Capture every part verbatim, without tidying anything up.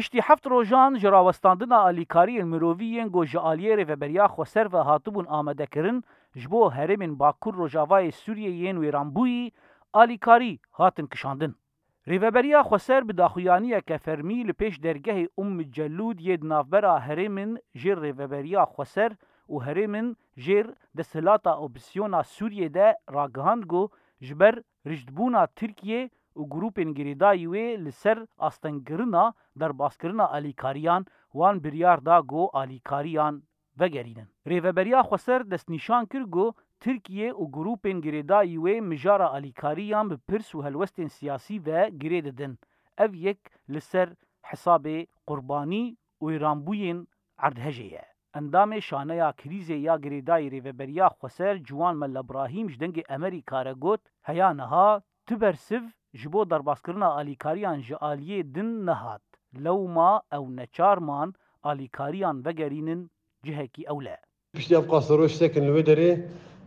Piştî heft rojan ji rawestandina alîkariyên mirovî yên ku ji aliyê Rêveberiya Xweser ve hatibûn amadekirin, ji bo herêmên Bakur Rojavayê Sûriyê yên wêranbûyî alîkarî hatin kişandin. Rêveberiya Xweser bi daxuyaniyeke fermî li pêş dergehê Umm Celûd yê di navbera herêmin jêr Rêveberiya Xweser û herêmin jêr desthilata opozîsyona Sûriyê de ragihand ku ji ber rijdbûna Tirkiye û grûpên girêdayî wê li ser astengkirina derbaskirina alîkariyan, wan biryar da ku alîkariyan vegerînin. Rêveberiya Xweser destnîşan kir ku Tirkiye û grûpên girêdayî wê mijara alîkariyan bi pirs û helwestên siyasî ve girê didin. Ev yek li ser hesabê qurbanî û wêranbûyên erdhejê ye. Endamê Şaneya Krîzê ya Girêdayî Rêveberiya Xweser Ciwan Melle Brahîm ji Dengê Emerîka re got, Heya niha tu bersiv ji bo derbaskirina alîkariyan ji aliyê din nehat. Lewma ew neçar man alîkariyan vegerînin cihekî ewle. Piştî ev qasiroj sekin li wê derê,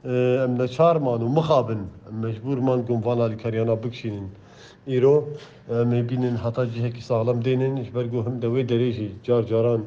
e, em neçar man û mixabin. Em mecbûr man ku em van alîkariyana bikişînin. Îro, e, em ê bînin heta cihekî saxlem dênin, ji ber ku him de wê derê jî car caran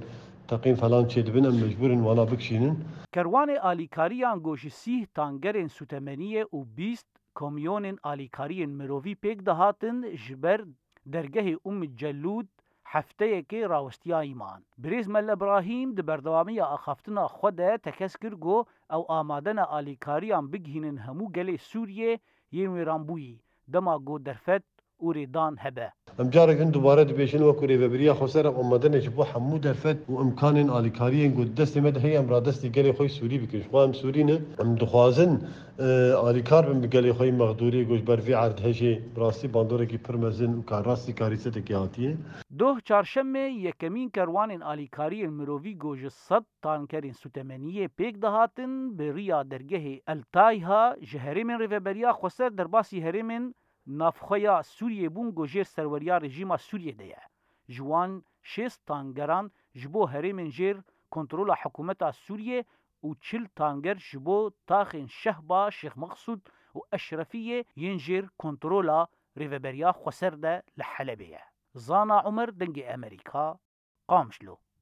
teqîn falan çêdibin, em mecbûr in wana bikişînin. Kerwanê alîkariyan ku ji sîh tangerên sûtemeniyê û bîst kamyonên alîkariyên mirovî pêk dihatin, ji ber dergehê Umm Celûd hefteyekê rawestiyayî man. Birêz Melle Brahîm di berdewamiya axaftina xwe de tekez kir ku ew amade ne alîkariyan bigihînin hemû gelê Sûriyê yên wêranbûyî, dema ku derfet û rêdan hebe. Em carek din dubare dibêjin, wekî Rêveberiya Xweser em amade ne ji bo hemû derfet û imkanên alîkariyên ku di destê me de heye em radestî gelê xwe yî Sûrî bikin. Ji xwe em Sûrî ne, em dixwazin, e, alîkar bin bi gelê xwe yî mexdûrî ku ji ber vê erdhejê bi rastî bandorekî pir mezin û karrastî karîsetekê hatiye. Doh çarşemê yekemîn kerwanên alîkariyên mirovî ku ji sed tankerên sûtemeniyê pêk dihatin, bi riya dergehê El Tayha ji herêmên Rêveberiya Xweser derbasî herêmên navxweya Sûriyê bûn ku jêr serweriya rejîma Sûriyê de ye. Ji wan şêst tangeran ji bo herêmên jêr kontrola hikûmeta Sûriyê û çil tanger ji bo taxên Şehba, Şêx Meqsûd û Eşrefiyê yên jêr kontrola Rêveberiya Xweser de li Helebê ye. Zana Umer, Dengê Emerîka, Qamişlo.